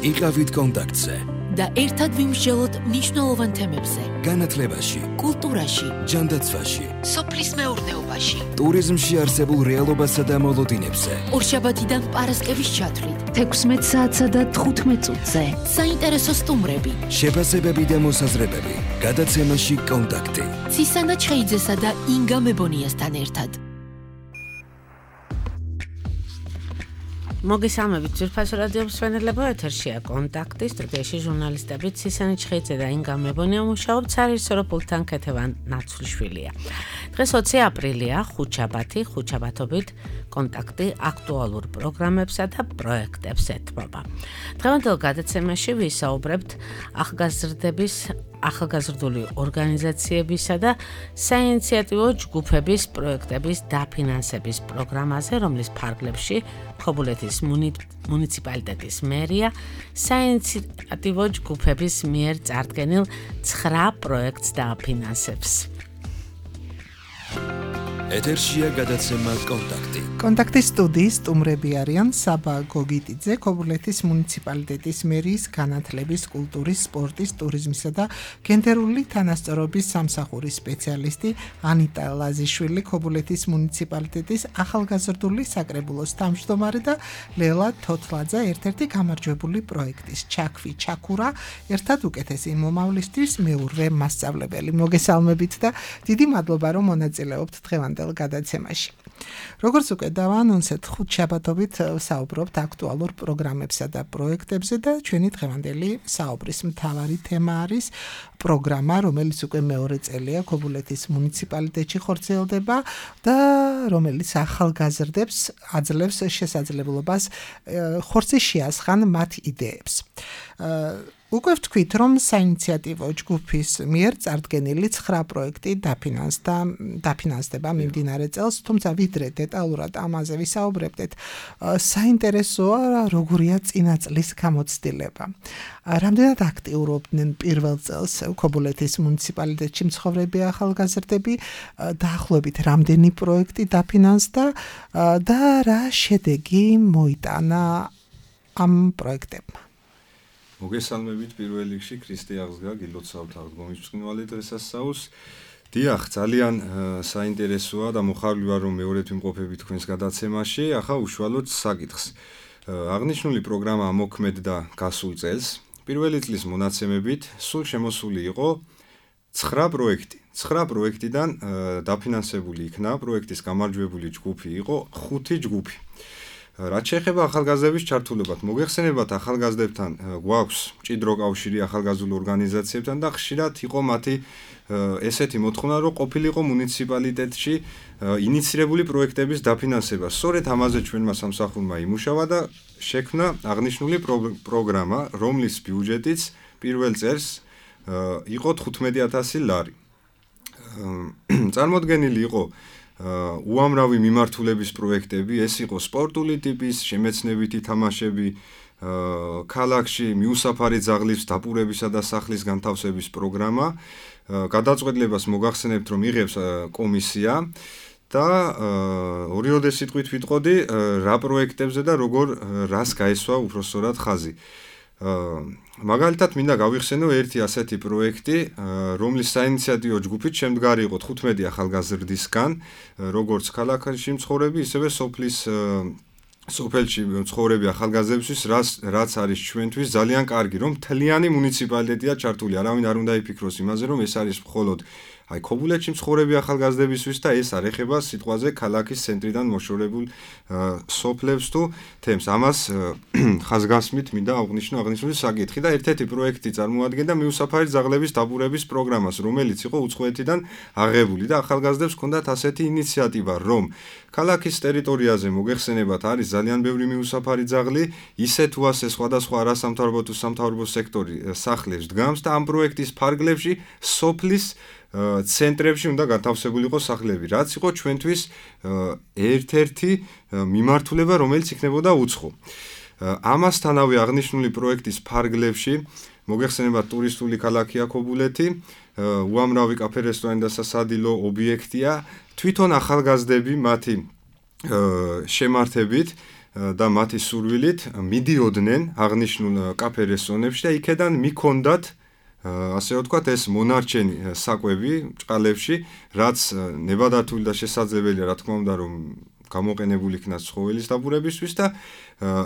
იყავით კონტაქტზე და ერთად ვიმსჯელოთ მნიშვნელოვან თემებზე. განათლებაში, კულტურაში, ჯანდაცვაში, სოფლის მეურნეობაში, ტურიზმში არსებულ რეალობასა და მოლოდინებზე. ორშაბათიდან პარასკევის ჩათვლით 16 საათსა და 15 წუთზე. საინტერესო სტუმრები, შეფასებები და მოსაზრებები. გადაცემაში კონტაქტი. ცისანა ჩხეიძესა და ინგა მებონიასთან ერთად. მოგესალმებით ძვირფასო რადიო მსმენელებო, ეთერშია კონტაქტი, სტუდიაში ჟურნალისტები ცისანა ჩხეიძე და ინგა მებონია მუშაობთ, საერთო პულტთან ქეთევან ნაცვლიშვილია. დღეს 20 აპრილია, ხუთშაბათი, ხუთშაბათობით კონტაქტი აქტუალურ პროგრამებსა და პროექტებს ეთმობა. დღევანდელ გადაცემაში ვისაუბრებთ ახალგაზრდული ორგანიზაციებისა და საინიციატივო ჯგუფების პროექტების დაფინანსების პროგრამაზე, რომლის ფარგლებში ხობულეთის მუნიციპალიტეტის მერია საინიციატივო ჯგუფების მიერ წარდგენილ 9 პროექტს დააფინანსებს. ეთერშია გადაცემა კონტაქტი. კონტაქტის სტუდიის სტუმრები არიან საბა გოგიტიძე, ქობულეთის მუნიციპალიტეტის მერიის განათლების, კულტურის, სპორტის, ტურიზმისა და გენდერული თანასწორობის სამსახურის სპეციალისტი ანიტა ლაზიშვილი, ქობულეთის მუნიციპალიტეტის ახალგაზრდული საკრებულოს თავმჯდომარე და ლელა თოთლაძე, ერთ-ერთი გამარჯვებული პროექტის ჩაქვი ჩაქურა, ერთად უკეთესი მომავლისთვის მეურვე მასწავლებელი. მოგესალმებით და დიდი მადლობა, რომ მონაწილეობთ დღევანდელ გადაცემაში. როგორც უკვე დავაანონსეთ, ხუთშაბათობით საუბრობთ აქტუალურ პროგრამებსა და პროექტებზე და ჩვენი დღევანდელი საუბრის მთავარი თემა არის პროგრამა, რომელიც უკვე მეორე წელია ქობულეთის მუნიციპალიტეტში ხორციელდება და რომელიც ახალგაზრდებს აძლევს შესაძლებლობას ხორცი შეასხან მათ იდეებს. უკვე ვთქვით, რომ საინიციატივო ჯგუფის მიერ წარდგენილი 9 პროექტი დაფინანსდება მიმდინარე წელს, თუმცა ვიდრე დეტალურად ამაზე ვისაუბრებდეთ, საინტერესოა როგორია წინა წლის გამოცდილება. რამდენად აქტიურობდნენ პირველ წელს ქობულეთის მუნიციპალიტეტში მცხოვრები ახალგაზრდები, დაახლოებით რამდენი პროექტი დაფინანსდა და რა შედეგი მოიტანა ამ პროექტებმა. მოგესალმებით პირველ რიგში ქრისტე აღსგა გილოცავთ აღდგომის ბრწყინვალე დღესასწაულს. დიახ, ძალიან საინტერესოა და მოხარული ვარ, რომ მეორედ ვიმყოფები თქვენს გადაცემაში. ახლა უშუალოდ საკითხს. აღნიშნული პროგრამა მოქმედდა გასულ წელს. პირველი წლის მონაცემებით სულ შემოსული იყო 9 პროექტი. 9 პროექტიდან დაფინანსებული იქნა პროექტის გამარჯვებული ჯგუფი იყო 5 ჯგუფი. რაც შეეხება ახალგაზრდების ჩართულებათ, მოგეხსენებათ ახალგაზრდებთან გვაქვს მჭიდრო კავშირი ახალგაზრდულ ორგანიზაციებთან და ხშირად იყო მათი ესეთი მოთხოვნა, რომ ყოფილიყო მუნიციპალიტეტში ინიცირებული პროექტების დაფინანსება. სწორედ ამაზე ჩვენმა სამსახურმა იმუშავა და შექმნა აღნიშნული პროგრამა, რომლის ბიუჯეტიც პირველ წელს იყო 15,000 ლარი. წარმოდგენილი იყო უამრავი მიმართულების პროექტები, ეს იყო სპორტული ტიპის, შემეცნებითი თამაშები, ქალაქში მიუსაფარი ძაღლის დაპურებისა და სახლის განთავსების პროგრამა. გადაწყვეტილებას მოგახსენებთ, რომ იღებს კომისია და ორიოდე სიტყვით ვიტყოდი რა პროექტებზე და როგორ რას გაესვა უпроსწორად ხაზი. მაგალითად მინდა გავიხსენო ერთი ასეთი პროექტი, რომლის საინიციატივო ჯგუფით შემდგარი იყო 15 ახალგაზრდისგან, როგორც ქალაქში მცხოვრები, ისევე სოფელში მცხოვრები ახალგაზრდებისთვის, რაც არის ჩვენთვის ძალიან კარგი, რომ მთლიანი მუნიციპალიტეტია ჩართული. არავინ არ უნდა იფიქროს იმაზე, რომ ეს არის მხოლოდ ქობულეთში მცხოვრები ახალგაზრდებისთვის და ეს არ ეხება სიტყვაზე ქალაქის ცენტრიდან მოშორებულ სოფლებს თუ თემს. ამას ხაზგასმით მინდა აღნიშნო აღნიშნული საკითხი და ერთ-ერთი პროექტი წარმოადგენდა მიუსაფარი ძაღლების დაპურების პროგრამას, რომელიც იყო უცხოეთიდან აღებული და ახალგაზრდებს ჰქონდათ ასეთი ინიციატივა, რომ ქალაქის ტერიტორიაზე მოგეხსენებათ არის ძალიან ბევრი მიუსაფარი ძაღლი, ისე თუ ასე სხვადასხვა არასამთავრობო თუ სამთავრობო სექტორი სახლებს დგამს და ამ პროექტის ფარგლებში სოფლის ცენტრებში უნდა განთავსებულიყო სახლები, რაც იყო ჩვენთვის ერთ-ერთი მიმართულება, რომელიც იქნებოდა უცხო. ამასთანავე აღნიშნული პროექტის ფარგლებში მოგეხსენებათ ტურისტული ქალაქია ქობულეთი, უამრავი კაფე, რესტორანი და სასადილო ობიექტია, თვითონ ახალგაზრდები მათი შემართებით და მათი სურვილით მიდიოდნენ აღნიშნულ კაფე რესტორნებში და იქედან მიქონდათ ასე ვთქვათ ეს მონარჩენი საკვები ჭყალებში, რაც ნებადართული და შესაძლებელია, რა თქმა უნდა, რომ გამოყენებული იქნას ცხოველის დაბურებისთვის და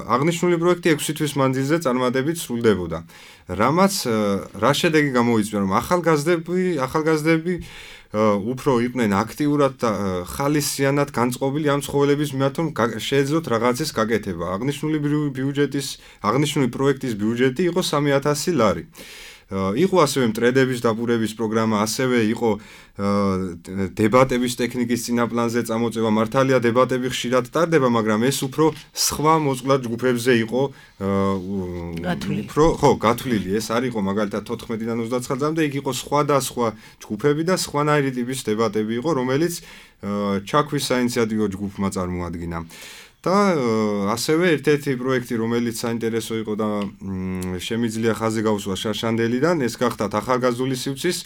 აღნიშნული პროექტი 6 თვის მანძილზე წარმატებით სრულდებოდა. რამაც რა შედეგი გამოიწვია, რომ ახალგაზრდები უფრო იყვნენ აქტიურად და ხალისიანად განწყობილი ამ ცხოველების მიმართ, რომ შეეძლოთ რაღაცის გაკეთება. აღნიშნული პროექტის ბიუჯეტი იყო 3,000 ლარი. იყო ასევე მტრედების დაბურების პროგრამა, ასევე იყო დებატების ტექნიკის წინაპლანზე წამოწევა. მართალია დებატები ხშირად ტარდება, მაგრამ ეს უფრო სხვა მოწყვლად ჯგუფებზე იყო გათვლილი. ეს არ იყო მაგალითად 14-დან 29 წლამდე, იქ იყო სხვადასხვა ჯგუფები და სხვანაირი ტიპის დებატები იყო, რომელიც ჩაქვის საინიციატივო ჯგუფმა წარმოადგინა. და ასევე ერთ-ერთი პროექტი, რომელიც საინტერესო იყო და შემიძლია ხაზი გავუსვა შარშანდელიდან, ეს გახდათ ახალგაზრდული სივრცის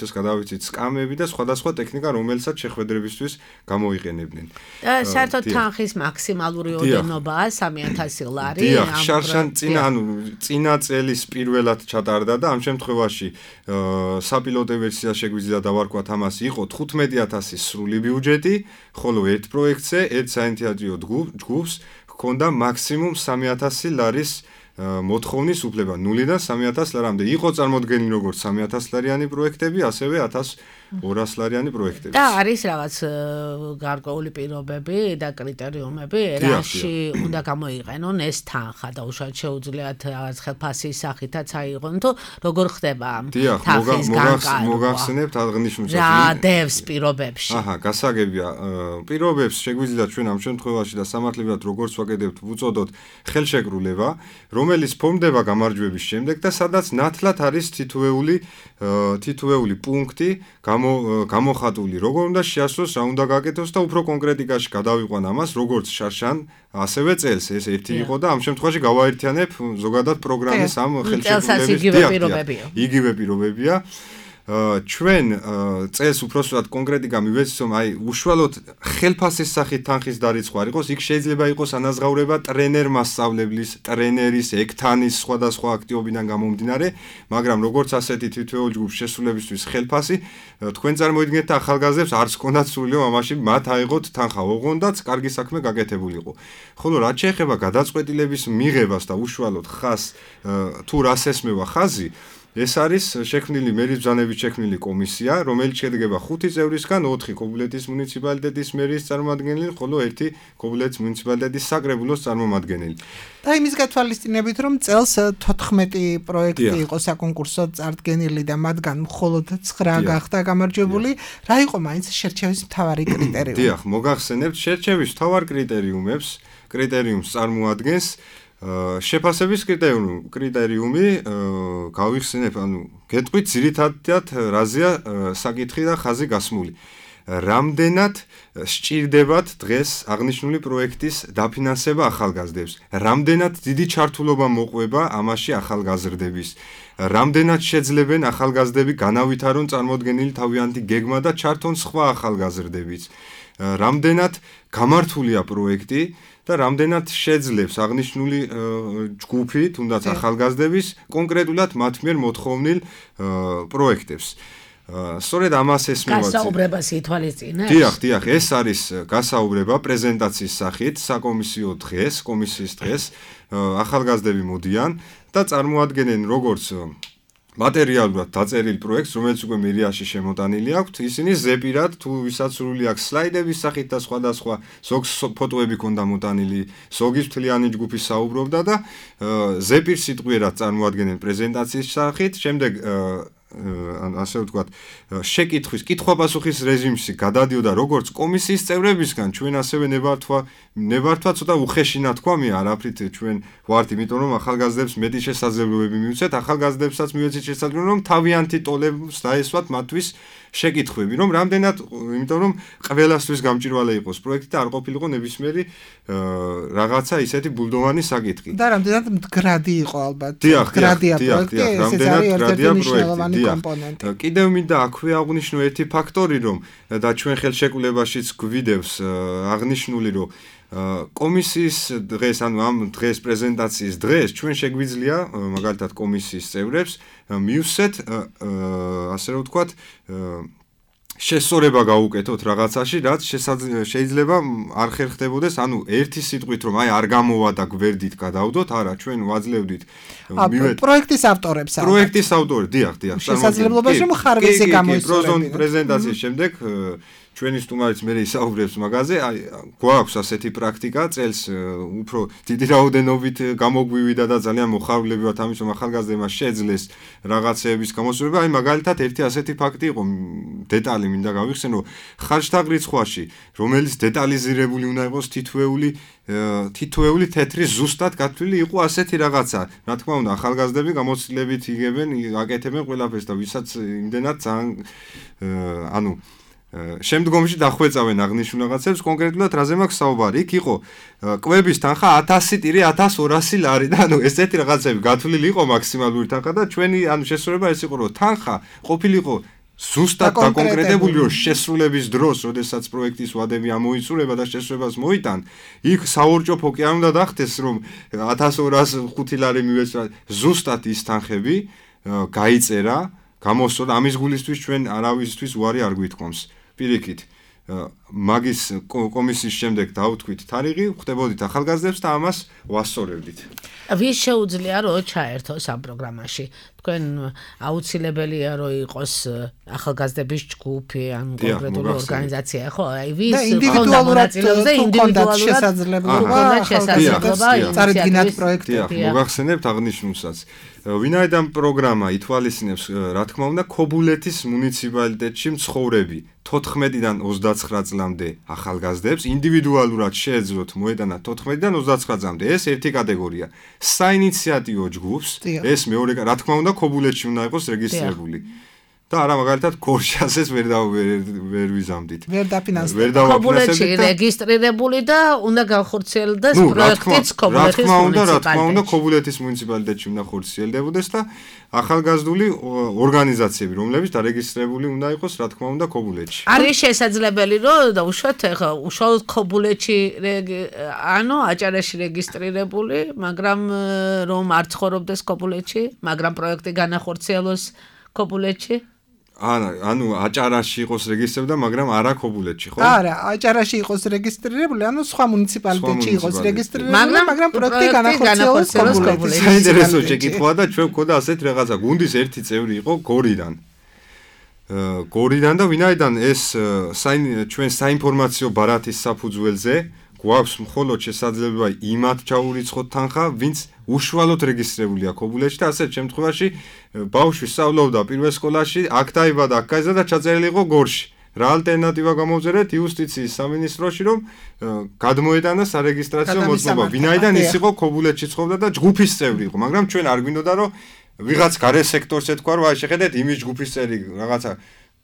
გადავიცით სკამები და სხვადასხვა ტექნიკა, რომელსაც შეხვედრებისთვის გამოიყენებდნენ. და საერთოდ თანხის მაქსიმალური ოდენობაა 3,000 ლარი. დიახ, წინა წელის პირველად ჩატარდა და ამ შემთხვევაში საპილოტო ვერსია შეგვიძლია დავარქვათ ამას, იყო 15,000 სრული ბიუჯეტი, ხოლო ერთ პროექტზე, ერთ საინიციატივო ჯგუფს ჰქონდა მაქსიმუმ 3,000 ლარის მოთხოვნის უფლება 0-დან 3,000 ლარამდე. იყო წარმოდგენილი როგორც 3,000 ლარიანი პროექტები, ასევე 1,200 ლარიანი პროექტები. და არის რაღაც გარკვეული პირობები და კრიტერიუმები, რაში უნდა გამოიყენონ ეს თანხა და უშუალოდ შეუძლიათ რაღაც ხელფასის სახითაც აიღონ, თუ როგორ ხდება თანხის განკარგვა. მოგახსენებთ აღნიშნულ რა დევს პირობებში. გასაგებია. პირობებს შეგვიძლია ჩვენ ამ შემთხვევაში და სამართლებრივად როგორც ვაკეთებთ, ვუწოდოთ ხელშეკრულება, რომელიც ფორმდება გამარჯვების შემდეგ და სადაც ნათლად არის თითოეული პუნქტი გამოხატული, როგორ უნდა შეასრულოს, რა უნდა გაკეთოს და უფრო კონკრეტიკაში გადავიყვან ამას, როგორც შარშან, ასევე წელს. ეს ერთი იყო და ამ შემთხვევაში გავაერთიანებ ზოგადად პროგრამის ამ ხელშეკრულების იგივე პირობებია. ჩვენ წელს უბრალოდ კონკრეტიკა მივეცით, რომ უშუალოდ ხელფასის სახით თანხის დარიცხვა არ იყოს, იქ შეიძლება იყოს ანაზღაურება ტრენერ-მასწავლებლის, ტრენერის, ექთანის სხვადასხვა აქტივობიდან გამომდინარე, მაგრამ როგორც ასეთი თითოეულ ჯგუფს შესრულებისთვის ხელფასი, თქვენ წარმოიდგინეთ და ახალგაზრდებს არც ჰქონდათ სურვილი, რომ ამაში მათ აიღოთ თანხა, ოღონდაც კარგი საქმე გაკეთებულიყო. ხოლო რაც შეეხება გადაწყვეტილების მიღებას და უშუალოდ ხაზს, თუ რას ესმევა ხაზი, ეს არის შექმნილი მერის ბრძანებით შექმნილი კომისია, რომელიც შედგება 5 წევრისგან, 4 ქობულეთის მუნიციპალიტეტის მერის წარმომადგენელი, ხოლო 1 ქობულეთის მუნიციპალიტეტის საკრებულოს წარმომადგენელი. და იმის გათვალისწინებით, რომ წელს 14 პროექტი იყო საკონკურსო წარდგენილი და მათგან მხოლოდ 9 გახდა გამარჯვებული, რა იყო მაინც შერჩევის მთავარი კრიტერიუმი? დიახ, მოგახსენებთ, შერჩევის მთავარ კრიტერიუმს წარმოადგენს შეფასების კრიტერიუმი, გავიხსენებ, გეტყვით ძირითადად რაზეა საკითხი და ხაზი გასმული. რამდენად სჭირდებათ დღეს აღნიშნული პროექტის დაფინანსება ახალგაზრდებს? რამდენად დიდი ჩართულობა მოყვება ამაში ახალგაზრდების? რამდენად შეძლებენ ახალგაზრდები განავითარონ წარმოდგენილი თავიანთი გეგმა და ჩართონ სხვა ახალგაზრდებიც? რამდენად გამართულია პროექტი და რამდენად შეძლებს აღნიშნული ჯგუფი, თუნდაც ახალგაზრდების, კონკრეტულად მათ მიერ მოთხოვნილ პროექტებს. სწორედ ამას ესმევა. გასაუბრებას ითვალისწინებს? დიახ, ეს არის გასაუბრება პრეზენტაციის სახით, საკომისიო დღეს, კომისიის დღეს, ახალგაზრდები მოდიან და წარმოადგენენ როგორც მატერიალურად დაწერილ პროექტს, რომელიც უკვე მერიაში შემოტანილი აქვთ, ისინი ზეპირად თუ ვისაც სრული აქვს სლაიდების სახით და სხვადასხვა ზოგს ფოტოები ქონდა მოტანილი, ზოგის მთლიანი ჯგუფი საუბრობდა და ზეპირ სიტყვიერად წარმოადგენენ პრეზენტაციის სახით, შემდეგ ასე ვთქვათ, შეკითხვის, კითხვა-პასუხის რეჟიმში გადადიოდა როგორც კომისიის წევრებისგან, ჩვენ ასევე ნებართვა ცოტა უხეშინა თქვამია, არაფრით ჩვენ ვართ, იმიტომ რომ ახალგაზრდებს მეტი შესაძლებლობები მივცეთ, ახალგაზრდებსაც მივეცეთ შესაძლებლობა, რომ თავიანთი ტოლებს დაესვათ მათთვის შეკითხვები, რომ რამდენად, იმიტომ რომ ყველასთვის გამჭირვალე იყოს პროექტი და არ ყოფილიყო ნებისმიერი რაღაცა ისეთი ბულდოვანი საკითხი. და რამდენად მდგრადი იყო ალბათ. დიახ, მდგრადია პროექტი, ესეც რამდენად არის მდგრადია ერთ-ერთი მნიშვნელოვანი პროექტი. კომპონენტი. კიდევ მინდა აქვე აღვნიშნო ერთი ფაქტორი, რომ და ჩვენ ხელშეკრულებაშიც გვიდევს აღნიშნული, რომ კომისიის დღეს, ანუ ამ დღეს პრეზენტაციის დღეს ჩვენ შეგვიძლია მაგალითად კომისიის წევრებს მივსვეთ ასე რომ ვთქვათ შესწორება გავუკეთოთ რაღაცაში, რაც შეიძლება არ ხერხდებოდეს, ანუ ერთი სიტყვით რომ აი არ გამოვა და გვერდით გადავდოთ, არა, ჩვენ ვაძლევდით პროექტის ავტორებს. პროექტის ავტორი, დიახ. შესაძლებლობაში რომ ხარვეზე გამოისწორებინათ. პრეზენტაციის შემდეგ ჩვენი სტუმარიც მე ისაუბრებს მაგაზე, აი გვაქვს ასეთი პრაქტიკა, წელს უფრო დიდი რაოდენობით გამოგვივიდა და ძალიან მოხარულებივად ამის რომ ახალგაზრდებმა შეძლეს რაღაცეების გამოსწორება, აი მაგალითად ერთი ასეთი ფაქტი იყო, დეტალი მინდა გავიხსენო, ხარჯთაღრიცხვაში, რომელიც დეტალიზირებული უნდა იყოს თითოეული თეთრი ზუსტად გათვლილი იყო ასეთი რაღაცა. რა თქმა უნდა, ახალგაზრდები გამოცდილებით იგებენ, აკეთებენ ყველაფერს და ვისაც იმდენად ძალიან ანუ შემდგომში დახვეწავენ აღნიშნულ რაღაცებს, კონკრეტულად რაზე მაქვს საუბარი? იქ იყო კვების თანხა 1000-1200 ლარი და ანუ ესეთი რაღაცები გათვლილი იყო მაქსიმალური თანხა და ჩვენი ანუ შესრულება ეს იყო, რომ თანხა ყოფილიყო ზუსტად დაკონკრეტებული, რომ შესრულების დროს, როდესაც პროექტის ვადები ამოიწურება და შესრულებას მოიტან, იქ საორჭოფო კი არ უნდა დახდეს, რომ 1205 ლარი მივეცვა, ზუსტად ის თანხები გაიწერა, გამოსწორდა, ამის გულისთვის ჩვენ არავისთვის უარი არ გვითქვამს. პირიქით, მაგის კომისიის შემდეგ დავთქვით თარიღი, ხვდებოდით ახალგაზრდებს და ამას ვასწორებდით. ვის შეუძლია რომ ჩაერთოს ამ პროგრამაში? თქვენ აუცილებელია რომ იყოს ახალგაზრდების ჯგუფი ან კონკრეტული ორგანიზაცია, ხო? აი ვის ინდივიდუალურად შესაძლებლობა წარდგინათ პროექტი. მოგახსენებთ აღნიშნულსაც. ვინაიდან პროგრამა ითვალისწინებს, რა თქმა უნდა, ქობულეთის მუნიციპალიტეტში მცხოვრები 14-დან 29 წლამდე ახალგაზრდებს ინდივიდუალურად შეეძლოთ მოედანათ 14-დან 29 წლამდე. ეს ერთი კატეგორია. საინიციატივო ჯგუფს, ეს მეორე, რა თქმა უნდა, ქობულეთში უნდა იყოს რეგისტრირებული. და არა მაგალითად ქორშასეს ვერ ვიზამდით. ვერ დაფინანსდება. ქობულეთში რეგისტრირებული და უნდა განხორციელდეს პროექტიც ქობულეთის მუნიციპალიტეტში. რა თქმა უნდა, ქობულეთის მუნიციპალიტეტში უნდა ხორციელდებოდეს და ახალგაზრდული ორგანიზაციები, რომლებიც დარეგისტრირებული უნდა იყოს, რა თქმა უნდა, ქობულეთში. არის შესაძლებელი, რომ უშუალოდ ქობულეთში ანუ აჭარაში რეგისტრირებული, მაგრამ რომ არ ცხოვრობდეს ქობულეთში, მაგრამ პროექტი განახორციელოს ქობულეთში? ანუ აჭარაში იყოს რეგისტრირებული, მაგრამ არა ქობულეთში, ხო? არა, აჭარაში იყოს რეგისტრირებული, ანუ სხვა მუნიციპალიტეტში იყოს რეგისტრირებული, მაგრამ პროექტი განახორციელოს ქობულეთში. საინტერესო შეკითხვაა და ჩვენ გვქონდა ასეთ რაღაცა. გუნდის ერთი წევრი იყო გორიდან. გორიდან და ვინაიდან ეს ჩვენ საინფორმაციო ბარათის საფუძველზე გვაქვს მხოლოდ შესაძლებლობა იმათ ჩაურიცხოთ თანხა, ვინც უშუალოდ რეგისტრირებულია ქობულეთში და ასეთ შემთხვევაში ბავშვი სწავლობდა პირველ სკოლაში, აქ დაიბადა, აქ გაიზარდა და ჩაწერილი იყო გორში. რა ალტერნატივა გამოვწერეთ იუსტიციის სამინისტროში, რომ გადმოეტანა სარეგისტრაციო მოძღვრება. ვინაიდან ის იყო ქობულეთში ცხოვრობდა და ჯგუფის წევრი იყო, მაგრამ ჩვენ არ გვინდოდა რომ ვიღაც გარე სექტორს ეთქვა, რომ აი შეხედეთ იმის ჯგუფის წევრი რაღაცა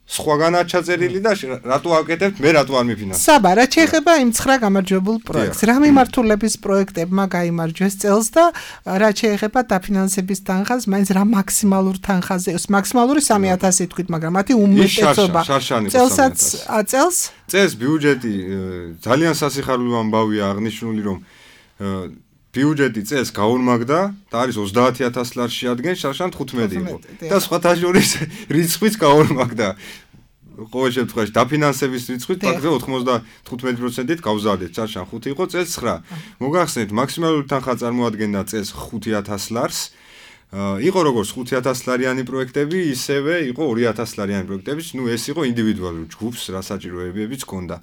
სხვაგანაა ჩაწერილი და რატო აკეთებთ, მე რატო არ მიფინანსებ? საბა, რა შეეხება იმ 9 გამარჯვებულ პროექტს. რა მიმართულების პროექტებმა გაიმარჯვეს წელს და რა შეეხება დაფინანსების თანხას, მაინც რა მაქსიმალურ თანხაზე, მაქსიმალური 3000 თქვით, მაგრამ მათი უმეტესობა წელს ბიუჯეტი ძალიან სასიხარულო ამბავია აღნიშნული, რომ ბიუჯეტი წელს გაორმაგდა და არის 30000 ლარს შეადგენს, შარშან 15 იყო. და სხვათა შორის რიცხვიც გაორმაგდა. ყოველ შემთხვევაში დაფინანსების რიცხვით ფაქტზე 95%-ით გავზარდეთ, შარშან 5 იყო, წელს 9. მოგახსენეთ, მაქსიმალური თანხა წარმოადგენდა წელს 5000 ლარს. იყო როგორც 5000 ლარიანი პროექტები, ისევე იყო 2000 ლარიანი პროექტები, ეს იყო ინდივიდუალური ჯგუფს, რა საჭიროებებიც ჰქონდა.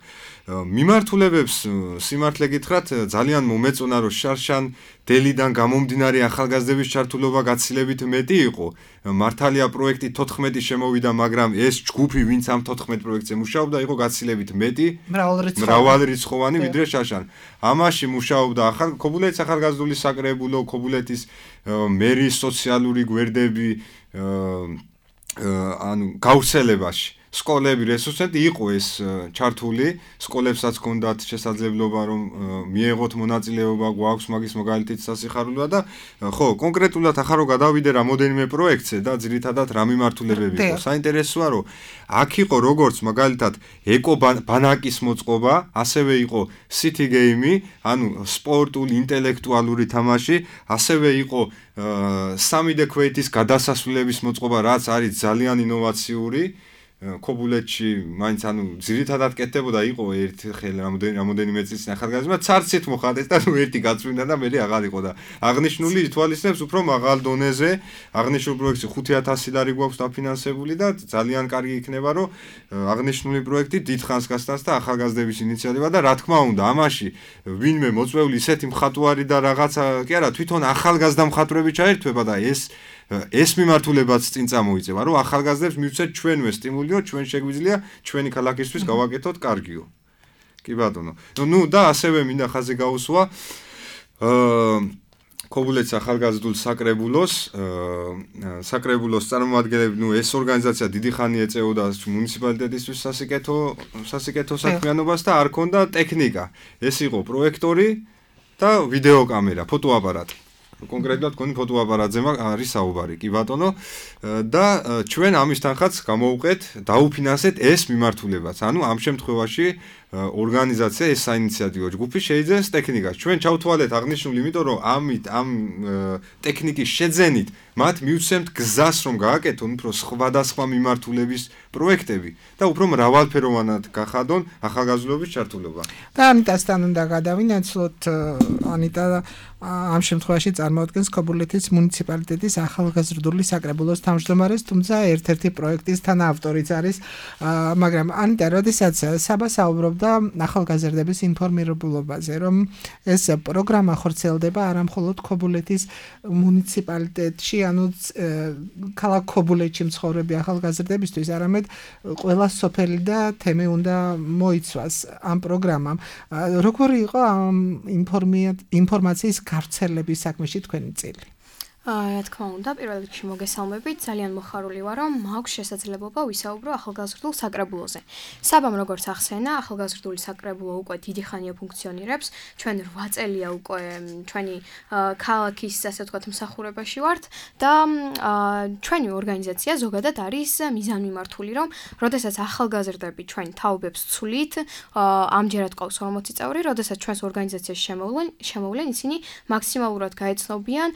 მიმართულებებს სიმართლე გითხრათ, ძალიან მომეწონა, რომ შარშან დელიდან გამომდინარე ახალგაზრდების ჩართულობა გაცილებით მეტი იყო. მართალია პროექტი 14 შემოვიდა, მაგრამ ეს ჯგუფი, ვინც ამ 14 პროექტზე მუშაობდა, იყო გაცილებით მეტი, მრავალრიცხოვანი ვიდრე შარშან. ამაში მუშაობდა ქობულეთის ახალგაზრდული საკრებულო, ქობულეთის მერის სოციალური გვერდები, ანუ გავრცელებაში. სკოლები რესურსები იყო ეს ჩართული, სკოლებსაც ჰქონდათ შესაძლებლობა რომ მიეღოთ მონაწილეობა, გვაქვს მაგის მაგალითით სასიხარულო და ხო, კონკრეტულად ახლა რომ გადავიდე რამოდენიმე პროექტზე და ძირითადად რა მიმართულებები იყო. საინტერესოა რომ აქ იყო როგორც მაგალითად ეკო-ბანაკის მოწყობა, ასევე იყო city game-ი, ანუ სპორტული, ინტელექტუალური თამაში, ასევე იყო 3D ქვეითის გადასასვლელების მოწყობა, რაც არის ძალიან ინოვაციური. ქობულეთში მაინც ანუ ძირითადად კეთდებოდა იყო ერთ ხელ რამოდენიმე წლის ახალგაზრდა ცარცით მოხდეს და ნუ ერთი გაწვინა და მე აღარ იყო და აღნიშნული ითვალისწინებს უფრო მაღალ დონეზე აღნიშნულ პროექტში 5000 ლარი გვაქვს დაფინანსებული და ძალიან კარგი იქნება რომ აღნიშნული პროექტი დიდხანს გასტანს და ახალგაზრდების ინიციატივა და რა თქმა უნდა ამაში ვინმე მოწვეული ისეთი მხატვარი და რაღაცა კი არა თვითონ ახალგაზრდა მხატვრები ჩაერთვება და ეს მიმართულებაც წინ წამოიწევა, რომ ახალგაზრდებს მივცეთ ჩვენვე სტიმულიო, ჩვენ შეგვიძლია ჩვენი ქალაქისთვის გავაკეთოთ კარგიო. კი ბატონო. ნუ და ასევე მინდა ხაზი გაუსვა ქობულეთის ახალგაზრდულ საკრებულოს წარმომადგენლები, ნუ ეს ორგანიზაცია დიდი ხანი ეწეოდა მუნიციპალიტეტისთვის სასიკეთო საქმიანობას და არ ქონდა ტექნიკა. ეს იყო პროექტორი და ვიდეო კამერა, ფოტოაპარატი. კონკრეტულად კონი ფოტოაპარატზე არის საუბარი, კი ბატონო და ჩვენ ამის თანხაც გამოვუყეთ, დაუფინანსეთ ეს მიმართულებაც. ანუ ამ შემთხვევაში ორგანიზაცია ეს საინიციატივო ჯგუფი შეიძენს ტექნიკას. ჩვენ ჩავთვალეთ აღნიშნული, იმიტომ რომ ამ ტექნიკის შეძენით მათ მივცემთ გზას რომ გააკეთონ უფრო სხვადასხვა მიმართულების პროექტები და უფრო მრავალფეროვანად გახადონ ახალგაზრდობის ჩართულობა. და ამიტასთან უნდა გადავინაცვლოთ ანიტა ამ შემთხვევაში წარმოადგენს ქობულეთის მუნიციპალიტეტის ახალგაზრდული საკრებულოს თავმჯდომარეს, თუმცა ერთ-ერთი პროექტის თანაავტორიც არის, მაგრამ ანიტა, როდესაც საბა საუბრობდა ახალგაზრდების ინფორმირებულობაზე, რომ ეს პროგრამა ხორციელდება არა მხოლოდ ქობულეთის მუნიციპალიტეტში, ანუ ქალაქ ქობულეთში მცხოვრები ახალგაზრდებისთვის, არამედ ყველა სოფელი და თემი უნდა მოიცვას ამ პროგრამამ. როგორი იყო ამ ინფორმაციის გავრცელების საქმეში თქვენი წილი? რა თქმა უნდა, პირველ რიგში მოგესალმებით, ძალიან მოხარული ვარ, რომ მაქვს შესაძლებლობა ვისაუბრო ახალგაზრდულ საკრებულოზე. საბამ როგორც ახსენა, ახალგაზრდული საკრებულო უკვე დიდი ხანია ფუნქციონირებს. ჩვენ 8 წელია უკვე ჩვენი ქალაქის, ასე ვთქვათ, მსახურებაში ვართ და ჩვენი ორგანიზაცია ზოგადად არის მიზანმიმართული, რომ როდესაც ახალგაზრდები ჩვენ თაობებს ცვლით, ამჯერად ყავს 40 წევრი, როდესაც ჩვენს ორგანიზაციაში შემოვლენ, ისინი მაქსიმალურად გაეცნობიან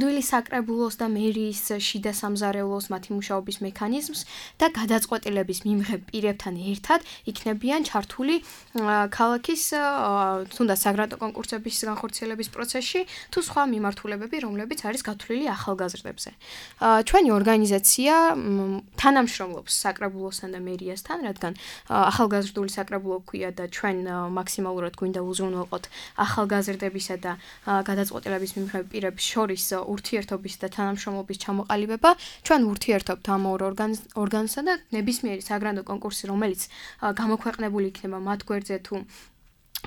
საკრებულოს და მერის შიდა სამზარეულოს მათი მუშაობის მექანიზმს და გადაწყვეტილების მიმღებ პირებთან ერთად იქნებიან ჩართული ქალაქის თუნდაც საგრანტო კონკურსების განხორციელების პროცესში თუ სხვა მიმართულებები, რომლებიც არის გათვლილი ახალგაზრდებზე. ჩვენი ორგანიზაცია თანამშრომლობს საკრებულოსთან და მერიასთან, რადგან ახალგაზრდული საკრებულო ქვია და ჩვენ მაქსიმალურად გვინდა უზრუნველყოთ ახალგაზრდებისა და გადაწყვეტილების მიმღებ პირებს შორის ურთიერთობის და თანამშრომლობის ჩამოყალიბება. ჩვენ ურთიერთობთ ამ ორ ორგანოსთან და ნებისმიერი საგრანდო კონკურსი, რომელიც გამოქვეყნებული იქნება მათ გვერდზე თუ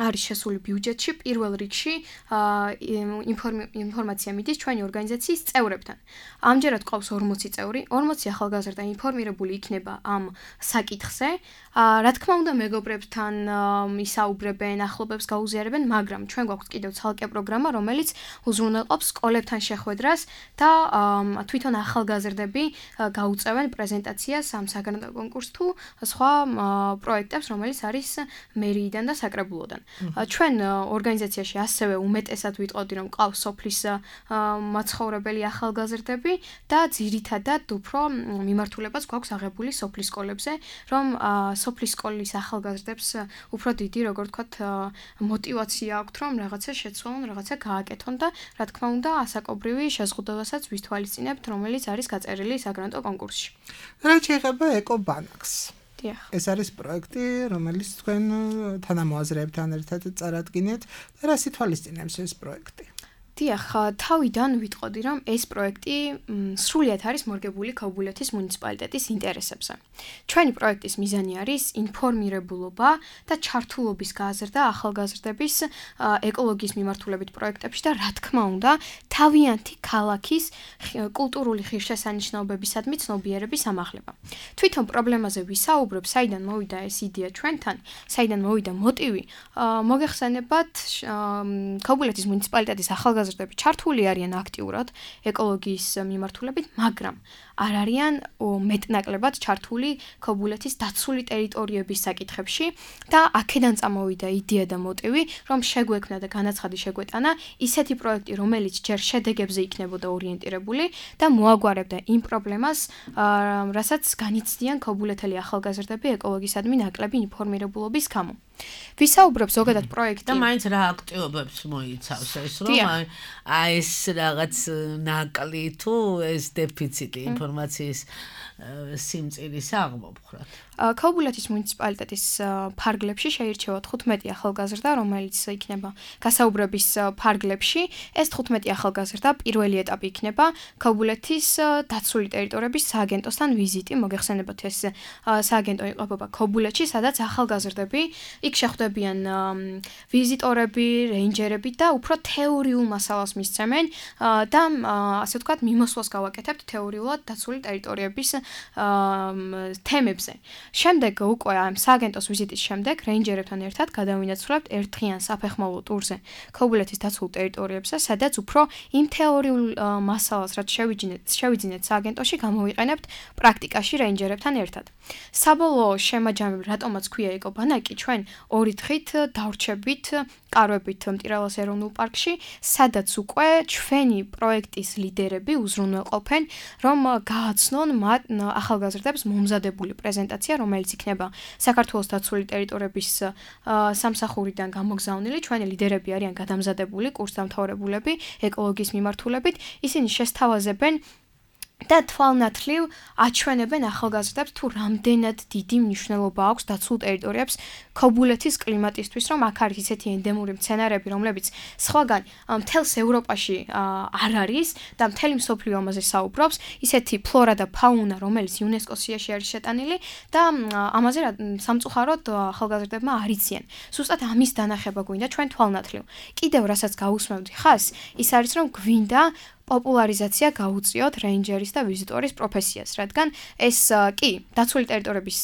არის შესული ბიუჯეტში, პირველ რიგში ინფორმაცია მიდის ჩვენი ორგანიზაციის წევრებთან. ამჯერად ყავს 40 წევრი, 40 ახალგაზრდა ინფორმირებული იქნება ამ საკითხზე. რა თქმა უნდა, მეგობრებთან ისაუბრებენ, ახლობებს გაუზიარებენ, მაგრამ ჩვენ გვაქვს კიდევ ცალკე პროგრამა, რომელიც უზრუნველყოფს სკოლებთან შეხვედრას და თვითონ ახალგაზრდები გაუწევენ პრეზენტაციას ამ საგრანდო კონკურსს თუ სხვა პროექტებს, რომელიც არის მერიიდან და საკრებულოდან. ჩვენ ორგანიზაციაში ასევე უმეტესად ვიტყოდი, რომ ყავს სოფლის მაცხოვრებელი ახალგაზრდები და ძირითადად უფრო მიმართულებაც გვაქვს აღებული სოფლის სკოლებზე, რომ სოფლის სკოლის ახალგაზრდებს უფრო დიდი, როგორ ვთქვათ, мотиваცია აქვთ, რომ რაღაცა შეცვალონ, რაღაცა გააკეთონ და რა თქმა უნდა, ასაკობრივი შეზღუდვასაც ვისთვალისწინებთ, რომელიც არის გაწერილი საგრანტო კონკურსში. რა შეიძლება ეკო-ბანაკს? ეს არის პროექტი, რომელიც თქვენ თანამოაზრეებთან ერთად წარადგინეთ და რას ითვალისწინებს ეს პროექტი? დიახ, თავიდან ვიტყოდი, რომ ეს პროექტი სრულიად არის მორგებული ქობულეთის მუნიციპალიტეტის ინტერესებზე. ჩვენი პროექტის მიზანი არის ინფორმირებულობა და ჩართულობის გაზრდა ახალგაზრდების ეკოლოგიის მიმართულებით პროექტებში და რა თქმა უნდა, თავიანთი ქალაქის კულტურული ღირსშესანიშნაობებისადმი ცნობიერების ამაღლება. თვითონ პრობლემაზე ვისაუბრებ, საიდან მოვიდა ეს იდეა ჩვენთან, საიდან მოვიდა მოტივი, მოგეხსენებათ, ქობულეთის მუნიციპალიტეტის ახალგაზრდები ჩართული არიან აქტიურად ეკოლოგიის მიმართულებით, მაგრამ არ არიან მეტნაკლებად ჩართული ქობულეთის დაცული ტერიტორიების საკითხებში და აქედან წამოვიდა იდეა და მოტივი, რომ შეგვექმნა და განაცხადი შეგვეტანა ისეთი პროექტი, რომელიც ჯერ შედეგებზე იქნებოდა ორიენტირებული და მოაგვარებდა იმ პრობლემას, რასაც განიცდიან ქობულეთელი ახალგაზრდები ეკოლოგიისადმი ნაკლები ინფორმირებულობის გამო. ვისაუბრებ ზოგადად პროექტი და მაინც რა აქტივობებს მოიცავს ეს რომ ეს რაღაც ნაკლი თუ ეს დეფიციტი ინფორმაციის სიმწირის აღმოფხრათ. ქობულეთის მუნიციპალიტეტის ფარგლებში შეირჩევა 15 ახალგაზრდა, რომელიც იქნება გასაუბრების ფარგლებში. ეს 15 ახალგაზრდა პირველი ეტაპი იქნება ქობულეთის დაცული ტერიტორიების სააგენტოსთან ვიზიტი. მოგეხსენებათ, ეს სააგენტო იყოფება ქობულეთში, სადაც ახალგაზრდები იქ შეხვდებიან ვიზიტორები, რეინჯერები და უფრო თეორიულ მასალას მისცემენ და ასე ვთქვათ, მიმოსვლას გავაკეთებთ თეორიულად დაცული ტერიტორიების თემებზე. შემდეგ უკვე ამ სააგენტოს ვიზიტის შემდეგ რეინჯერებთან ერთად გადავინაცვლებთ ერთხიან საფეხმავლო ტურზე ქობულეთის დაცულ ტერიტორიებზე, სადაც უფრო იმ თეორიულ მასალას, რაც შევიძინეთ სააგენტოში, გამოვიყენებთ პრაქტიკაში რეინჯერებთან ერთად. საბოლოო შემაჯამები, რატომაც ქვია ეკობანაკი, ჩვენ 2 დღით დავრჩებით კარვებით მტირალას ეროვნულ პარკში, სადაც უკვე ჩვენი პროექტის ლიდერები უზრუნველყოფენ, რომ გააცნონ მათ ახალგაზრდებს მომზადებული პრეზენტაცია, რომელიც იქნება საქართველოს დაცული ტერიტორიების სამსახურიდან გამოგზავნილი. ჩვენი ლიდერები არიან გადამზადებული კურსდამთავრებულები ეკოლოგიის მიმართულებით. ისინი შესთავაზებენ და თვალნათლივ აჩვენებენ ახალგაზრდებს თუ რამდენად დიდი მნიშვნელობა აქვს დაცულ ტერიტორიებს ქობულეთის კლიმატისთვის, რომ აქ არის ისეთი ენდემური მცენარეები, რომლებიც სხვაგან მთელს ევროპაში არ არის და მთელი მსოფლიო ამაზე საუბრობს, ისეთი ფლორა და ფაუნა, რომელიც იუნესკოს სიაში არის შეტანილი და ამაზე სამწუხაროდ ახალგაზრდებმა არ იციან. ზუსტად ამის დანახება გვინდა ჩვენ თვალნათლივ. კიდევ რასაც გაუსმევდი ხას, ის არის რომ გვინდა პოპულარიზაცია გაუწიოთ რეინჯერის და ვიზიტორის პროფესიას, რადგან ეს კი დაცული ტერიტორიების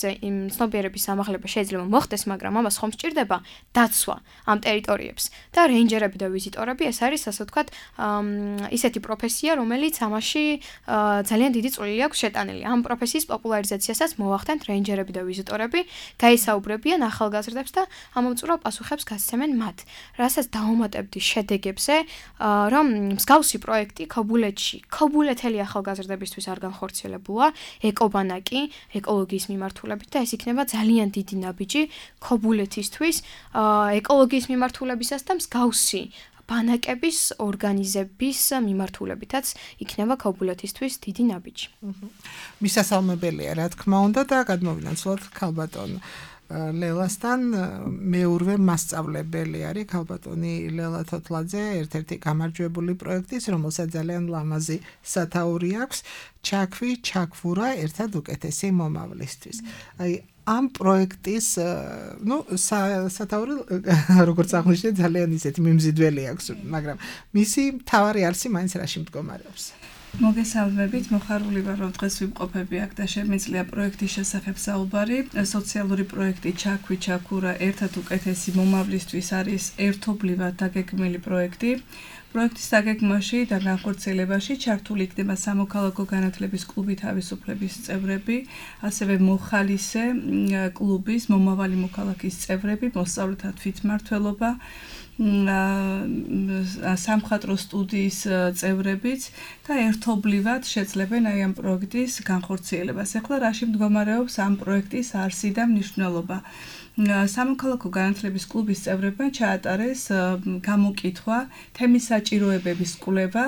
ცნობიერების ამაღლება შეიძლება მოხდეს, მაგრამ ამას ხომ სჭირდება დაცვა ამ ტერიტორიებს და რეინჯერები და ვიზიტორები ეს არის ასე ვთქვათ ისეთი პროფესია, რომელიც ამაში ძალიან დიდი წვლილი აქვს შეტანილი. ამ პროფესიის პოპულარიზაციასაც მოვახდენთ რეინჯერები და ვიზიტორები, გაისაუბრებიან ახალგაზრდებს და ამომწურავ პასუხებს გასცემენ მათ. რასაც დაუმატებდი შედეგებზე, რომ მსგავსი პროექტი ქობულეთში, ქობულეთელი ახალგაზრდებისთვის არ განხორციელებულა, ეკობანაკი, ეკოლოგიის მიმართულებით და ეს იქნება ძალიან დიდი ნაბიჯი ქობულეთისთვის, ეკოლოგიის მიმართულებისას და მსგავსი ბანაკების ორგანიზების მიმართულებითაც იქნება ქობულეთისთვის დიდი ნაბიჯი. მისასალმებელია, რა თქმა უნდა და გადმოვინაცვლოთ ქალბატონ ლელასთან მეურვე მასწავლებელი არის ქალბატონი ლელა თოთლაძე, ერთ-ერთი გამარჯვებული პროექტის, რომელსაც ძალიან ლამაზი სათაური აქვს, ჩაქვი, ჩაქვურა, ერთად უკეთესი მომავლისთვის. აი ამ პროექტის, სათაური როგორც აღნიშნეთ, ძალიან ისეთი მიმზიდველი აქვს, მაგრამ მისი მთავარი არსი მაინც რაში მდგომარეობს? მოგესალმებით, მოხარული ვარ, რომ დღეს ვიმყოფები აქ და შემიძლია პროექტის შესახებ საუბარი. სოციალური პროექტი ჩაქვი, ჩაქურა, ერთად უკეთესი მომავლისთვის არის ერთობლივად დაგეგმილი პროექტი. პროექტის დაგეგმვაში და განხორციელებაში ჩართული იქნება სამოქალაქო განათლების კლუბი თავისუფლების წევრები, ასევე მოხალისე კლუბის მომავალი მოქალაქის წევრები, მოსწავლეთა თვითმმართველობა, სამხატვრო სტუდიის წევრებიც და ერთობლივად შეძლებენ აი ამ პროექტის განხორციელებას. ახლა რაში მდგომარეობს ამ პროექტის არსი და მნიშვნელობა? სამოქალაქო განათლების კლუბის წევრებმა ჩაატარეს გამოკითხვა თემის საჭიროებების კვლევა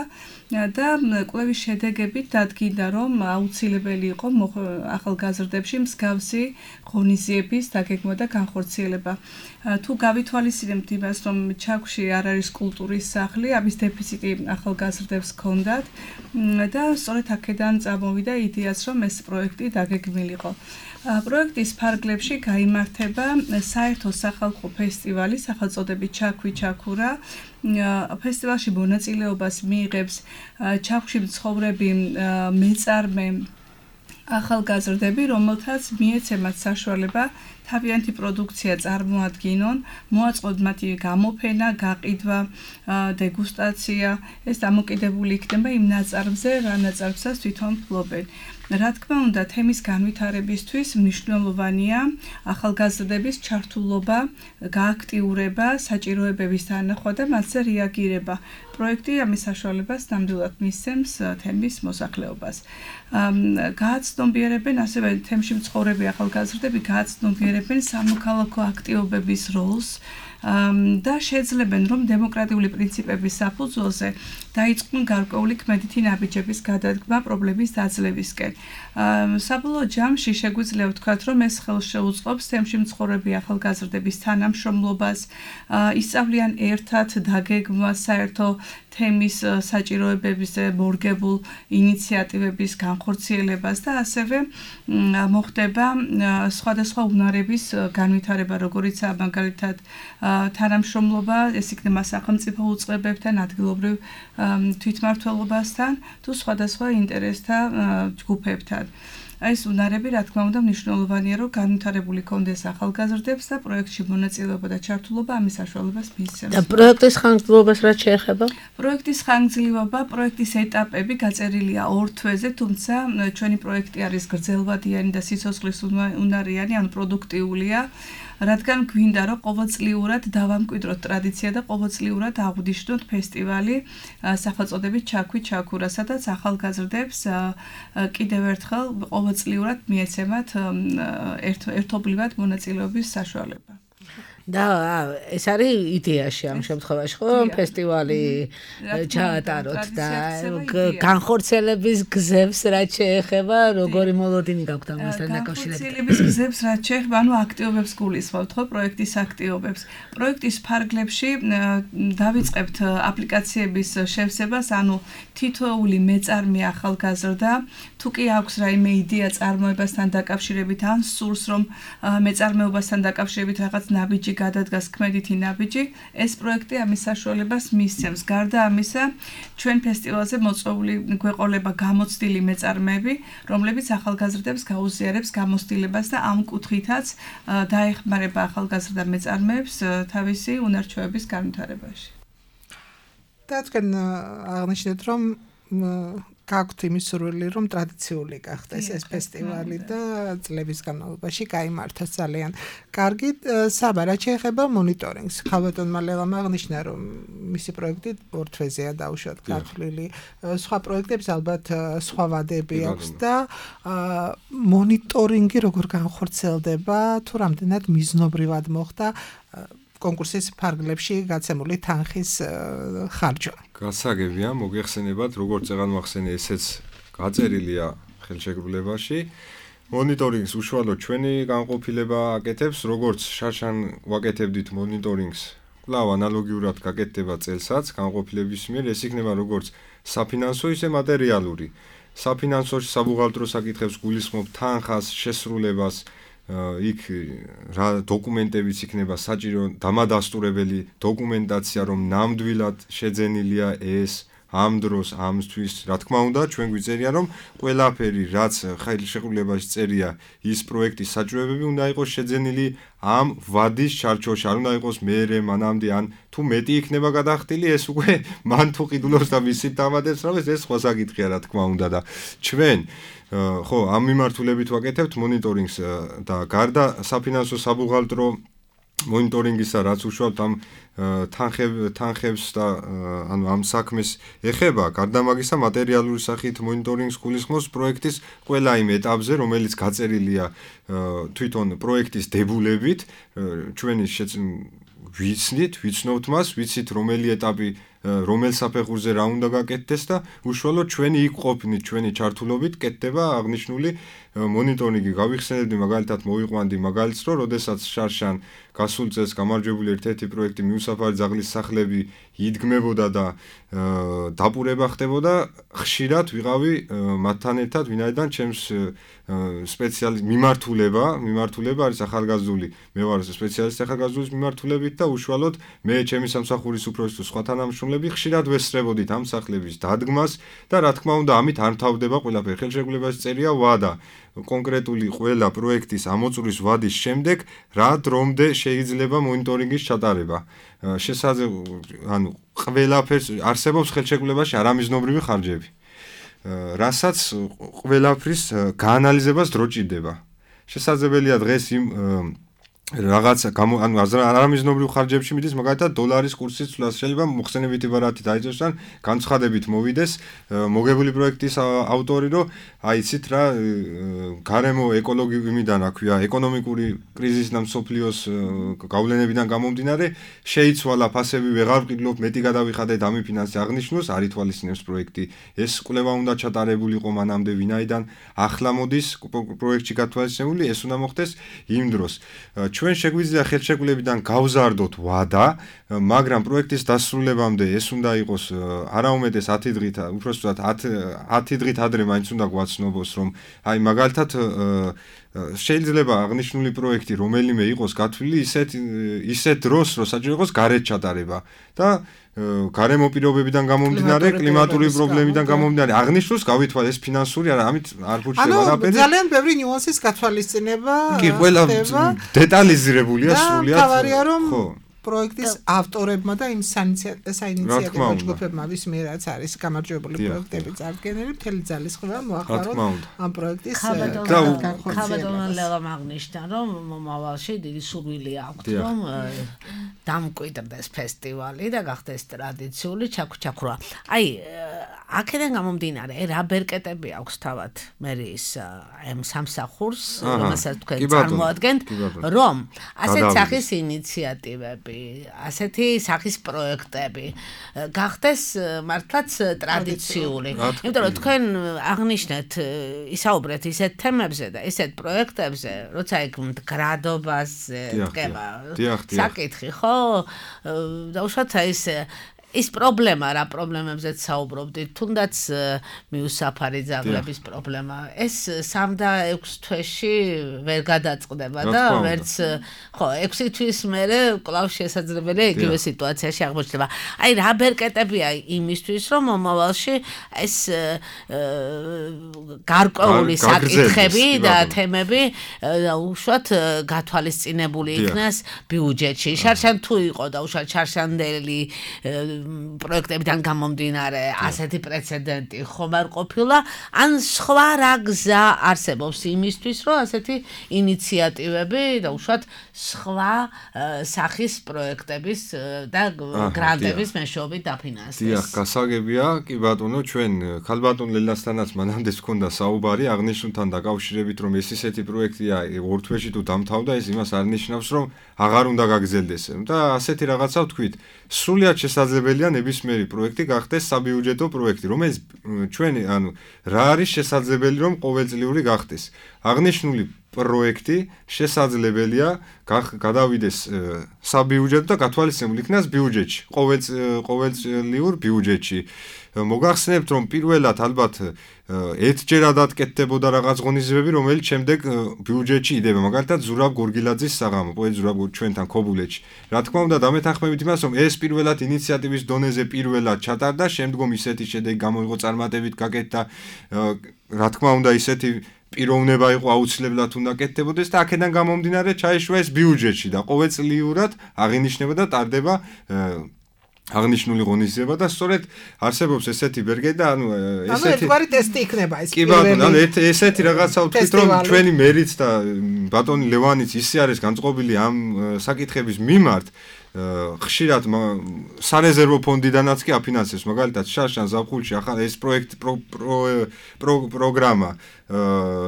და კვლევის შედეგებით დადგინდა, რომ აუცილებელი იყო ახალგაზრდებში მსგავსი ღონისძიების დაგეგმვა და განხორციელება. თუ გავითვალისწინებთ იმას, რომ ჩაქვში არ არის კულტურის სახლი, ამის დეფიციტი ახალგაზრდებს ჰქონდათ და სწორედ აქედან წამოვიდა იდეაც, რომ ეს პროექტი დაგეგმილიყო. პროექტის ფარგლებში გაიმართება საერთო სახალხო ფესტივალი სახელწოდებით ჩაქვი ჩაქურა. ფესტივალში მონაწილეობას მიიღებს ჩაქვში მცხოვრები მეწარმე ახალგაზრდები, რომელთაც მიეცემათ საშუალება თავიანთი პროდუქცია წარმოადგინონ, მოაწყოთ მათი გამოფენა, გაყიდვა, დეგუსტაცია. ეს დამოკიდებული იქნება იმ ნაწარმზე, რა ნაწარმსაც თვითონ ფლობენ. რა თქმა უნდა, თემის განვითარებისთვის მნიშვნელოვანია ახალგაზრდების ჩართულობა, გააქტიურება, საჭიროებების დანახვა და მათზე რეაგირება. პროექტი ამის საშუალებას ნამდვილად მისცემს თემის მოსახლეობას. გააცნობიერებენ ასევე თემში მცხოვრები ახალგაზრდები გააცნობიერებენ სამოქალაქო აქტივობების როლს და შეძლებენ, რომ დემოკრატიული პრინციპების საფუძველზე დაიწყონ გარკვეული ქმედითი ნაბიჯების გადადგმა პრობლემის დაძლევისკენ. საბოლოო ჯამში შეგვიძლია ვთქვათ, რომ ეს ხელს შეუწყობს თემში მცხოვრები ახალგაზრდების თანამშრომლობას, ისწავლიან ერთად დაგეგმვას საერთო თემის საჭიროებებზე მორგებულ ინიციატივების განხორციელებას და ასევე მოხდება სხვადასხვა უნარების განვითარება, როგორიცაა მაგალითად თანამშრომლობა, ეს იქნება სახელმწიფო უწყებებთან, ადგილობრივ თვითმმართველობასთან თუ სხვადასხვა ინტერესთა ჯგუფებთან. ეს უნარები, რა თქმა უნდა, მნიშვნელოვანია, რომ განვითარებული კონდეს ახალგაზრდებს და პროექტში მონაწილეობა და ჩართულობა ამის საშუალებას მისცემს. და პროექტის ხანგრძლივობას რაც შეეხება? პროექტის ხანგრძლივობა, პროექტის ეტაპები გაწერილია 2 თვეზე, თუმცა ჩვენი პროექტი არის გრძელვადიანი და სიცოცხლის უნარიანი, ანუ პროდუქტიულია. რადგან გვინდა, რომ ყოველწლიურად დავამკვიდროთ ტრადიცია და ყოველწლიურად აღვნიშნოთ ფესტივალი სახელწოდებით ჩაქვი ჩაქურა, სადაც ახალგაზრდებს კიდევ ერთხელ ყოველწლიურად მიეცემათ ერთობლივად მონაწილეობის საშუალება. და ეს არის იდეაში ამ შემთხვევაში, ხო? ფესტივალი ჩაატაროთ და განხორციელების გზებს რაც შეეხება, როგორი მოლოდინი გაქვთ ამასთან დაკავშირებით? განხორციელების გზებს რაც შეეხება, ანუ აქტივობებს გულისხმობთ, ხო, პროექტის აქტივობებს. პროექტის ფარგლებში დავიწყებთ აპლიკაციების შევსებას, ანუ თითოეული მეწარმე ახალგაზრდა, თუ კი აქვს რაიმე იდეა წარმოებასთან დაკავშირებით, ან სურს რომ მეწარმეობასთან დაკავშირებით რაღაც ნაბიჯი გადადგას ქმედითი ნაბიჯი, ეს პროექტი ამის საშუალებას მისცემს. გარდა ამისა, ჩვენ ფესტივალზე მოწვეული გვეყოლება გამოცდილი მეწარმეები, რომლებიც ახალგაზრდებს გაუზიარებს გამოცდილებას და ამ კუთხითაც დაეხმარება ახალგაზრდა მეწარმეებს თავისი უნარჩვევების განვითარებაში. და თქვენ აღნიშნეთ, რომ გაქვთ იმის სურვილი, რომ ტრადიციული გახდეს ეს ფესტივალი და წლების განმავლობაში გაიმართოს ძალიან კარგი. საბა, რაც შეეხება მონიტორინგს, ხალბატონმა ლელამ აღნიშნა, რომ მისი პროექტი 2 თვეზეა დაუშვათ გათვლილი. სხვა პროექტებს ალბათ სხვა ვადები აქვს და მონიტორინგი როგორ განხორციელდება, თუ რამდენად მიზნობრივად მოხდა კონკურსის ფარგლებში გაცემული თანხის ხარჯვა. გასაგებია, მოგეხსენებათ, როგორც წეგანმახსენე, ესეც გაწერილია ხელშეკრულებაში. მონიტორინგს უშუალოდ ჩვენი განყოფილება აკეთებს, როგორც შარშან ვაკეთებდით მონიტორინგს. კვლავ ანალოგიურად გაკეთდება წელსაც განყოფილების მიერ, ეს იქნება როგორც საფინანსო, ისე მატერიალური. საფინანსოში საბუღალტრო საკითხებს გულისხმობ თანხას, შესრულებას, იქ რა დოკუმენტებიც იქნება საჭირო, დამადასტურებელი დოკუმენტაცია, რომ ნამდვილად შეძენილია ეს ამ დროს, ამისთვის. რა თქმა უნდა, ჩვენ გვიწერია, რომ ყველაფერი, რაც ხელშეკრულებაში წერია, ის პროექტის საჭიროებები უნდა იყოს შეძენილი ამ ვადის ჩარჩოში, არ უნდა იყოს მეერე, მანამდე, ან თუ მეტი იქნება გადახდილი, ეს უკვე მან თუ ყიდულობს და მისით დამატებს, რომ ეს სხვა საკითხია, რა თქმა უნდა და ჩვენ ამ მიმართულებით ვაკეთებთ მონიტორინგს და გარდა საფინანსო საბუღალტრო მონიტორინგისა, რაც უშუალოდ ამ თანხებს და ანუ ამ საქმეს ეხება, გარდა მაგისა მატერიალური სახით მონიტორინგს გულისხმობს პროექტის ყველა იმ ეტაპზე, რომელიც გაწერილია თვითონ პროექტის დებულებით, ჩვენი ვიცნობთ მას, ვიცით რომელი ეტაპი რომელ საფეხურზე რა უნდა გაკეთდეს და უშუალოდ ჩვენი იქ ყოფნით, ჩვენი ჩართულობით კეთდება აღნიშნული მონიტორინგი. გავიხსენებდი მაგალითად მოვიყვანდი მაგალითს, რომ როდესაც შარშან გასულ წელს გამარჯვებული ერთ-ერთი პროექტი მიუსაფარი ძაღლის სახლები იდგმებოდა და დაპურება ხდებოდა, ხშირად ვიყავი მათთან ერთად, ვინაიდან ჩემს სპეციალისტ მიმართულება არის ახალგაზრდული, მე ვარ სპეციალისტი ახალგაზრდულის მიმართულებით და უშუალოდ მე ჩემი სამსახურის უფროსი თუ სხვა თანამშრომლები ხშირად ვესწრებოდით ამ სახლების დადგმას და რა თქმა უნდა ამით არ მთავრდება ყველაფერი. ხელშეკრულებაში წერია ვადა კონკრეტული ყველა პროექტის ამოწურის ვადის შემდეგ რა დრომდე შეიძლება მონიტორინგის ჩატარება. ანუ ყველაფერს არსებობს ხელშეკრულებაში არამიზნობრივი ხარჯები. რასაც ყველაფრის გაანალიზებას დრო ჭირდება. შესაძლებელია დღეს იმ რაღაცა ანუ არამიზნობრივ ხარჯებში მიდის მაგალითად დოლარის კურსის ცვლას შეიძლება მოხსენებითი ბარათი დაიწოს ან განცხადებით მოვიდეს მოგებული პროექტის ავტორი რომ აიცით რა გარემო ეკოლოგიურიდან რა ქვია ეკონომიკური კრიზისიდან მსოფლიოს გავლენებიდან გამომდინარე შეიცვალა ფასები ვეღარ ვყიდულობ მეტი გადავიხადეთ ამი ფინანსი აღნიშნოს არ ითვალისწინებს პროექტი ეს კვლევა უნდა ჩატარებულიყო მანამდე ვინაიდან ახლა მოდის პროექტში გათვალისწინებული ეს უნდა მოხდეს იმ დროს ჩვენ შეგვიძლია ხელშეკრულებიდან გავზარდოთ ვადა, მაგრამ პროექტის დასრულებამდე ეს უნდა იყოს არაუმეტეს 10 დღით, უпростоად 10 დღით ადრე მაინც უნდა გვაცნობოს, რომ აი მაგალითად შეიძლება აღნიშნული პროექტი რომელიმე იყოს გათვლილი ისეთ დროს, რომ საჭირო იყოს გარეთ ჩატარება და გარემო პირობებიდან გამომდინარე, კლიმატური პრობლემიდან გამომდინარე, აღნიშნულს გავითვალე ეს ფინანსური არა, ამით არ გურჩება არაფერი. ანუ ძალიან ბევრი ნიუანსის გათვალისწინება. კი, ყველა დეტალიზირებულია სრულიად. თავარია რომ პროექტის ავტორებმა და იმ საინიციატივო ჯგუფებმა ვის მიერაც არის გამარჯვებული პროექტები წარდგენილი მთელი ძალისხმევა მოახმაროთ ამ პროექტის ხაბადონალეღა აღნიშნა რომ მომავალში დიდი სურვილი აქვს რომ დამკვიდრდეს ფესტივალი და გახდეს ტრადიციული ჩაქრა. აი აქედან გამომდინარე რა ბერკეტები აქვს თავად მერის ამ სამსახურს რომელსაც თქვენ წარმოადგენთ რომ ასეთ სახის ინიციატივები ასეთი სახის პროექტები გახდეს მართლაც ტრადიციული. იმიტომ რომ თქვენ აღნიშნეთ ისაუბრეთ ისეთ თემებზე და ისეთ პროექტებზე, როცა იქ მდგრადობაზე დგება საკითხი, ხო? და უშუალოდ ის პრობლემა რა პრობლემებზეც საუბრობდით, თუნდაც მიუსაფარი ძაღლების პრობლემა. ეს 3 და 6 თვეში ვერ გადაწყდება და ვერც ხო 6 თვის მერე კვლავ შესაძლებელია იგივე სიტუაციაში აღმოჩნდება. აი რა ბერკეტებია იმისთვის რომ მომავალში ეს გარკვეული საკითხები და თემები უშუალოდ გათვალისწინებული იქნას ბიუჯეტში. შარშან თუ იყო და უშუალოდ შარშანდელი პროექტებიდან გამომდინარე ასეთი პრეცედენტი ხომ არ ყოფილა ან სხვა რა გზა არსებობს იმისთვის რომ ასეთი ინიციატივები და უშუალოდ სხვა სახის პროექტების და გრანტების მეშვეობით დაფინანსდეს. დიახ, გასაგებია, კი ბატონო, ჩვენ ქალბატონ ლელასთანაც მანამდე ჰქონდა საუბარი აღნიშნულთან დაკავშირებით რომ ეს ისეთი პროექტია ორ თვეში თუ დამთავრდა ეს იმას არ ნიშნავს რომ აღარ უნდა გაგრძელდეს და ასეთი რაღაცა ვთქვით სრულიად შესაძლებელია ნებისმიერი პროექტი გახდეს საბიუჯეტო პროექტი, რომელიც ჩვენი, ანუ რა არის შესაძლებელი რომ ყოველწლიური გახდეს. აღნიშნული პროექტი შესაძლებელია გადავიდეს საბიუჯეტო და გათვალისწინებულ იქნას ბიუჯეტში, ყოველწლიურ ბიუჯეტში. მოგახსენებთ რომ პირველად ალბათ ერთჯერადად კეთდებოდა რაღაც ღონისძიებები, რომელიც შემდეგ ბიუჯეტში იდება. მაგალითად ზურაბ გორგილაძის საღამო, პოეტ ზურაბ ჩვენთან ქობულეთში. რა თქმა უნდა დამეთანხმებით იმას, რომ ეს პირველად ინიციატივის დონეზე პირველად ჩატარდა, შემდგომ ისეთი შედეგი გამოიღო წარმატებით გაკეთდა. რა თქმა უნდა ისეთი პიროვნება იყო აუცილებლად უნდა კეთდებოდეს და აქედან გამომდინარე ჩაიშვა ეს ბიუჯეტში და ყოველწლიურად აღინიშნება და ტარდება აღნიშნული ღონისძიება და სწორედ არსებობს ესეთი ბერგე და ესეთი ერთგვარი ტესტი იქნება ეს კი ბატონო, ესეთი რაღაცა ვთქვით რომ ჩვენი მერიც და ბატონი ლევანიც ისე არის განწყობილი ამ საკითხების მიმართ ხშირად სარეზერვო ფონდიდანაც კი აფინანსებს მაგალითად შარშან ზაფხულში ახლა ეს პროექტ პროგრამა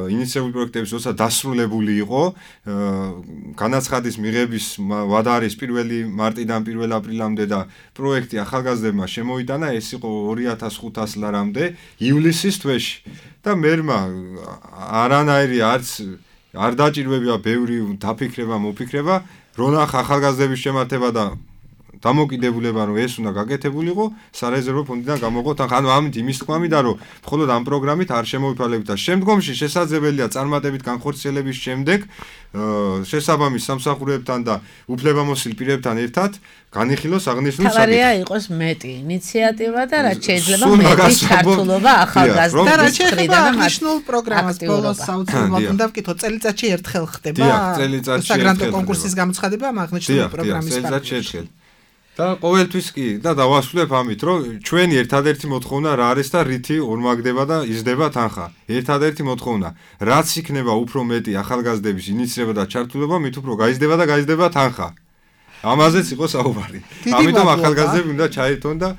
ინიციატიული პროექტების როცა დასრულებული იყო განაცხადის მიღების ვადა არის 1 მარტიდან 1 აპრილამდე და პროექტი ახალგაზრდებმა შემოიტანა ეს იყო 2500 ლარამდე ივლისის თვეში და მერმა არანაირი არ დაჭირვებია ბევრი დაფიქრება მოფიქრება რონახ ახალგაზრდების შემართება და დამოკიდებულება რომ ეს უნდა გაკეთებულიყო სარეზერვო ფონდიდან გამოყოთ ანუ ამით იმის თქმა მინდა რომ მხოლოდ ამ პროგრამით არ შემოვიფარგლებით და შემდგომში შესაძლებელია წარმატებით განხორციელების შემდეგ შესაბამის სამსახურებთან და უფლებამოსილ პირებთან ერთად განიხილოს აღნიშნული საკითხი. თავარია იყოს მეტი ინიციატივა და რაც შეიძლება მეტი ჩართულობა ახალგაზრდა და რაც შეიძლება აღნიშნულ პროგრამას ბოლოს საოცრად უნდა ვკითხო წელიწადში ერთხელ ხდება საგრანტო კონკურსის გამოცხადება ამ აღნიშნული პროგრამის წელიწადში და ყოველთვის კი და დავასრულებ ამით რომ ჩვენი ერთადერთი მოთხოვნა რა არის და რითი ორმაგდება და იზრდება თანხა ერთადერთი მოთხოვნა რაც იქნება უფრო მეტი ახალგაზრდების ინიციირება და ჩართულობა მით უფრო გაიზრდება და გაიზრდება თანხა ამაზეც იყო საუბარი ამიტომ ახალგაზრდები უნდა ჩაერთონ და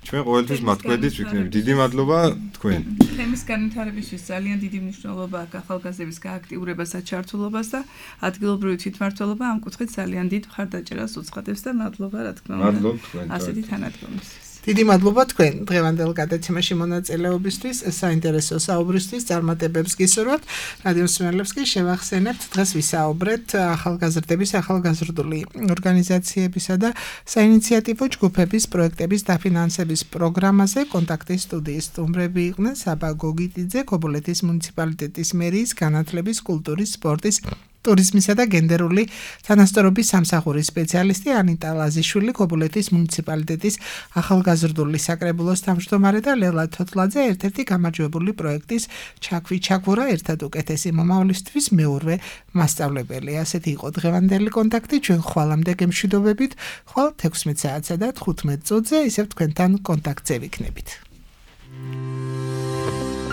ჩვენ ყოველთვის მათქვედით ვიქნებით დიდი მადლობა თქვენ თემის განვითარებისთვის ძალიან დიდი მნიშვნელობა აქვს ახალგაზრდების გააქტიურებას და ჩართულობას და ადგილობრივი თვითმმართველობა ამ კუთხით ძალიან დიდ მხარდაჭერას უცხადებს და მადლობა რა თქმა უნდა მადლობ თქვენ ასეთი თანადგომისთვის დიდი მადლობა თქვენ დღევანდელ გადაცემაში მონაწილეობისთვის საინტერესო საუბრისთვის წარმატებებს გისურვებთ რადიო მსმენელებს კი შევახსენებთ დღეს ვისაუბრეთ ახალგაზრდების ახალგაზრდული ორგანიზაციებისა და საინიციატივო ჯგუფების პროექტების დაფინანსების პროგრამაზე კონტაქტის სტუდიის სტუმრები იყვნენ საბა გოგიტიძე ქობულეთის მუნიციპალიტეტის მერიის განათლების კულტურის სპორტის ტურიზმისა და გენდერული თანასწორობის სამსახურის სპეციალისტი ანიტა ლაზიშვილი ქობულეთის მუნიციპალიტეტის ახალგაზრდული საკრებულოს თავმჯდომარე და ლელა თოთლაძე ერთ-ერთი გამარჯვებული პროექტის ჩაქვი ჩაქვურა ერთად უკეთესი მომავლისთვის მეურვე მასწავლებელი. ასეთი იყო დღევანდელი კონტაქტი ჩვენ ხვალამდე გემშვიდობებით ხვალ 16 საათსა და 15 წუთზე ისევ თქვენთან კონტაქტზე ვიქნებით.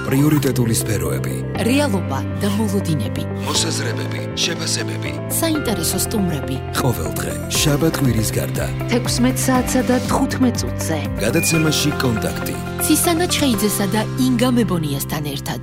პრიორიტეტული სფეროები, რეალობა და მოლოდინები, მოსაზრებები, შეფასებები, საინტერესო სტუმრები. ყოველდღე შაბათ-კვირის გარდა 16 საათსა და 15 წუთზე გადაცემაში კონტაქტი. ცისანა ჩხეიძესა და ინგა მებონიასთან ერთად.